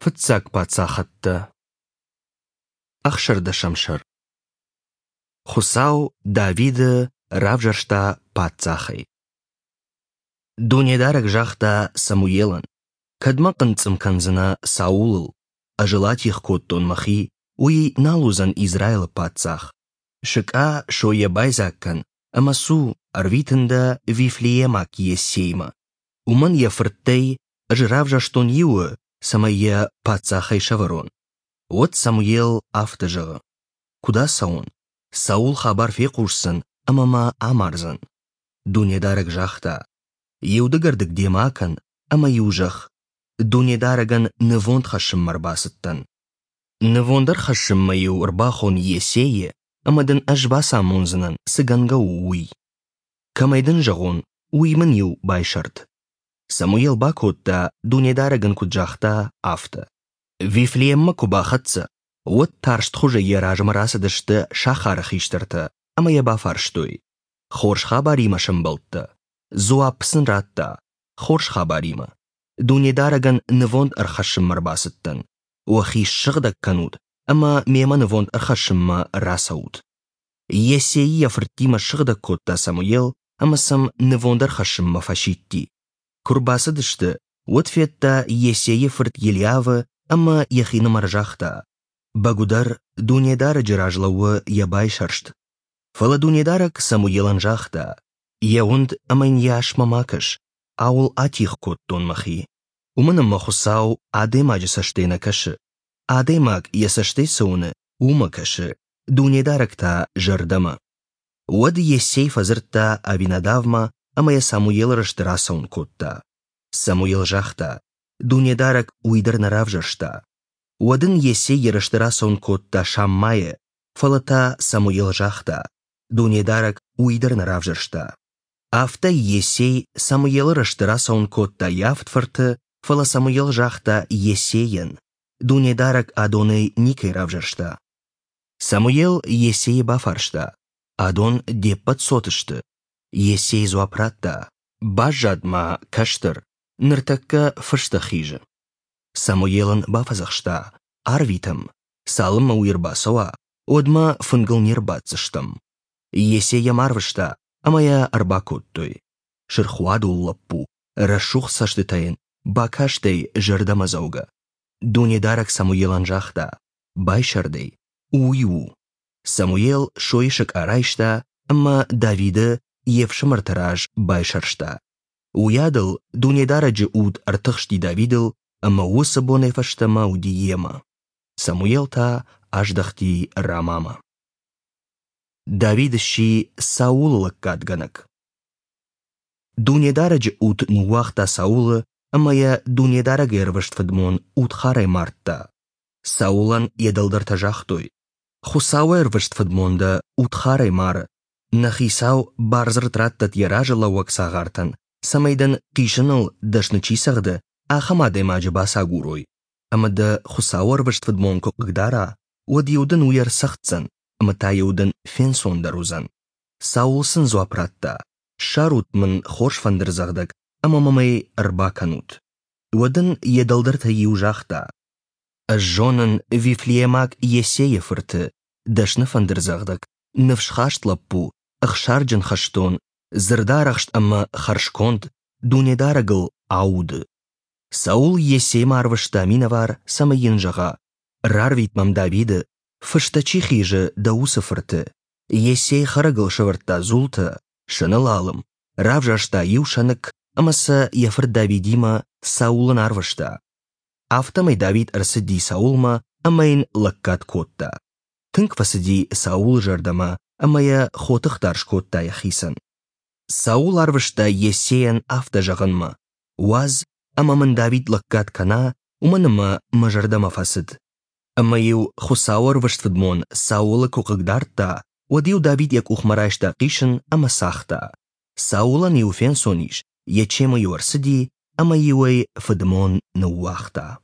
Фыццаг паддзахӕдтӕ. Ӕхсӕрдӕсӕм сӕр. Хуыцау Давиды равзӕрста паддзахӕй. Дунедарӕг загъта Самуелӕн: «Кӕдмӕ хъынцъым кӕндзынӕ Саулыл? Ӕз ыл атигъ кодтон мӕхи, уый нал уыдзӕн Израилы паддзах. Сыкъа сойӕ байдзаг кӕн ӕмӕ цу, ӕрвитын дӕ Вифлеемаг Иессеймӕ. Уымӕн йӕ фырттӕй ӕз равзӕрстон иуы, цӕмӕй йӕ паддзахӕй сӕвӕрон. Уӕд Самуел афтӕ зӕгъы: Куыд ацӕуон? Саул хабар фехъусдзӕн ӕмӕ мӕ амардзӕн. Дунедарӕг загъта: Иу дыгӕрдыг демӕ акӕн ӕмӕ-иу зӕгъ: Дунедарӕгӕн нывонд хӕссынмӕ ӕрбацыдтӕн. Нывонд ӕрхӕссынмӕ-иу ӕрбахон Йессейы, ӕмӕ дын ӕз бацамондзынӕн, цы гӕнгӕ у, уый. Кӕмӕй дын зӕгъон, уый мын-иу байсӕрд. Самуел бакодта, Дунедарӕг ын куыд загъта, афтӕ. Вифлееммӕ куы бахӕццӕ, уӕд тарстхуызӕй йӕ размӕ рацыдысты сахары хистӕртӕ ӕмӕ йӕ бафарстой: «Хорз хабаримӕ сӕмбӕлдтӕ?» Дзуапп сын радта: «Хорз хабаримӕ. Дунедарӕгӕн нывонд ӕрхӕссынмӕ ӕрбацыдтӕн. Уӕхи ссыгъдӕг кӕнут ӕмӕ мемӕ нывонд ӕрхӕссынмӕ рацӕут». Йессейы йӕ фырттимӕ ссыгъдӕг кодта Самуел ӕмӕ сӕм нывонд ӕрхӕссынмӕ фӕсидти. Куы рбацыдысты, уӕд федта Йессейы фырт Елиавы ӕмӕ йӕхинымӕр загъта: «Бӕгуыдӕр, Дунедарӕджы раз лӕууы йӕ байсӕрст». Фӕлӕ Дунедарӕг Самуелӕн загъта: «Йӕ уынд ӕмӕ йын йӕ асмӕ ма кӕс, ауыл атигъ кодтон мӕхи. Уымӕн ӕмӕ Хуыцау адӕймаджы цӕстӕй нӕ кӕсы. Адӕймаг йӕ цӕстӕй цы уыны, уымӕ кӕсы, Дунедарӕг та зӕрдӕмӕ. Уӕд Йессей фӕдзырдта Авинадавмӕ ӕмӕ йӕ Самуелы рӕзты рацӕуын кодта. Самуел загъта: Дунедарӕг уый дӕр нӕ равзӕрста. Уӕд ын Йессей йӕ рӕзты рацӕуын кодта Шаммайы, фӕлӕ та Самуел загъта: Дунедарӕг уый дӕр нӕ равзӕрста. Афтӕ Йессей Самуелы рӕзты рацӕуын кодта йӕ авд фырты, фӕлӕ Самуел загъта Йессейӕн: Дунедарӕг адонӕй никӕй равзӕрста. Самуел Йессейы бафарста: «Адон де ппӕт цот сты?» Йессей дзуапп радта: «Баззад ма кӕстӕр, ныртӕккӕ фыстӕ хизы». Самуел ын бафӕдзӕхста: «Арвитӕм, цалынмӕ уый ӕрбацӕуа, уӕдмӕ фынгыл не рбаддзыстӕм». Йессей йӕм арвыста, ӕмӕ йӕ ӕрбакодтой. Сырхуадул лӕппу, рӕсугъд цӕстытӕ йын, бакастӕй зӕрдӕмӕдзӕугӕ. Дунедарӕг Самуелӕн загъта: «Байсӕрдӕй, уый у. Самуел сойы сыкъа райста ӕмӕ Давиды йе фсымӕрты раз байсӕрста. Уыйадыл Дунедарӕджы уд ӕртыхсти Давидыл ӕмӕ уыцы бонӕй фӕстӕмӕ уыди йемӕ. Самуел та аздӕхти Рамамӕ. Давид сси Саулы лӕггадгӕнӕг. Дунедарӕджы уд ныууагъта Саулы ӕмӕ йӕ Дунедарӕг ӕрвыст фыдмон удхарӕй мардта. Саулӕн йӕ дӕлдӕртӕ загътой: «Хуыцауы ӕрвыст фыдмон дӕ удхарӕй мары. Нӕ хицау бардзырд раттӕд йӕ разылӕууӕг цагъартӕн, цӕмӕй дын хъисыныл дӕсны чи цӕгъды, ахӕм адӕймаджы бацагурой. Ӕмӕ дӕ Хуыцауы ӕрвыст фыдмон куы хъыгдара, уӕд-иу дын уый ӕрцӕгъддзӕн, ӕмӕ та-иу дын фенцондӕр уыдзӕн». Саул сын дзуапп радта: «Ссарут мын хорз фӕндырдзӕгъдӕг ӕмӕ мӕм ӕй ӕрбакӕнут». Уӕд ын йӕ дӕлдӕртӕй иу загъта: Ӕз зонын Вифлеемаг Йессейы фырты, дӕсны фӕндырдзӕгъдӕг, ныфсхаст лӕппу, ӕхсарджын хӕстон, дзырдарӕхст ӕмӕ хӕрзконд, Дунедарӕгыл ауды. Саул Йессеймӕ арвыста минӕвар, цӕмӕй йын зӕгъа: «Рарвит мӕм Давиды, фыстӕ чи хизы, дӕ уыцы фырты». Йессей хӕрӕгыл сӕвӕрдта дзултӕ, сӕны лалым, равзӕрста иу сӕныкк ӕмӕ сӕ йӕ фырт Давидимӕ Саулӕн арвыста. Афтӕмӕй Давид ӕрцыди Саулмӕ ӕмӕ йын лӕггад кодта. Тынг фӕцыди Саулы зӕрдӕмӕ ӕмӕ йӕ хотыхдар скодта йӕхицӕн. Саул арвыста Йессейӕн афтӕ зӕгъынмӕ: «Уадз, ӕмӕ мын Давид лӕггад кӕна, уымӕн ӕмӕ мӕ зӕрдӕмӕ фӕцыд». Ӕмӕ-иу Хуыцауы ӕрвыст фыдмон Саулы куы хъыгдардта, уӕд-иу Давид йӕ къухмӕ райста хъисын ӕмӕ цагъта. Саулӕн-иу фенцон ис, йӕ чемы-иу ӕрцыди ӕмӕ-иу ӕй фыдмон ныууагъта.